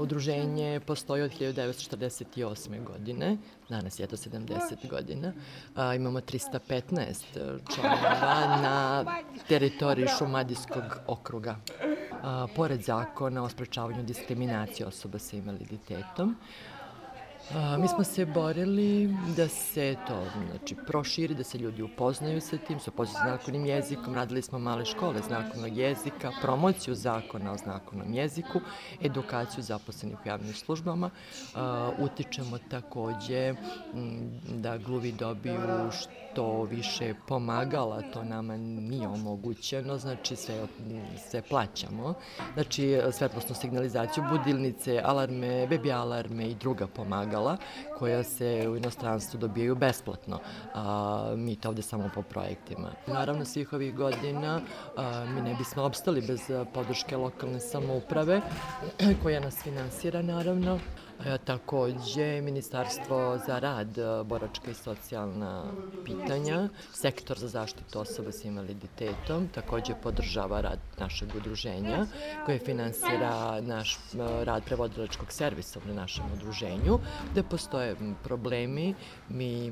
Udruženje postoji od 1948. godine, danas je to 70 godina. Imamo 315 članova na teritoriji Šumadijskog okruga. Pored zakona o sprečavanju diskriminacije osoba sa invaliditetom, mi smo se borili da se to proširi, da se ljudi upoznaju sa tim, sa znakovnim jezikom. Radili smo male škole znakovnog jezika, promociju zakona o znakovnom jeziku, edukaciju zaposlenih u javnim službama. Utičemo takođe da gluvi dobiju što više pomagala, to nama nije omogućeno, znači sve plaćamo. Znači svetlosnu signalizaciju, budilnice, alarme, bebi alarme i druga pomagala koja se u inostranstvu dobijaju besplatno. Mi to ovde samo po projektima. Naravno, svih ovih godina mi ne bismo opstali bez podrške lokalne samouprave koja nas finansira, naravno. Takođe, Ministarstvo za rad, boračka i socijalna pitanja, Sektor za zaštitu osoba sa invaliditetom, takođe podržava rad našeg udruženja koje finansira naš rad prevodilačkog servisa u našem udruženju, gde postoje problemi. Mi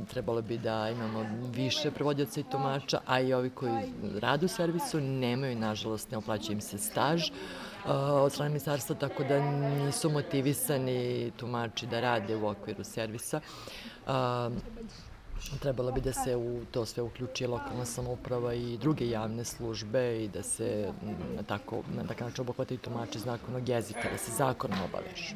trebalo bi da imamo više prevodioca i tumača, a i ovi koji rade u servisu nemaju, nažalost, ne uplaćuje im se staž od strane ministarstva, tako da nisu motivisani tumači da rade u okviru servisa. Trebalo bi da se u to sve uključi lokalna samouprava i druge javne službe i da se na takav način obuhvataju tumači znakovnog jezika, da se zakonom obavežu.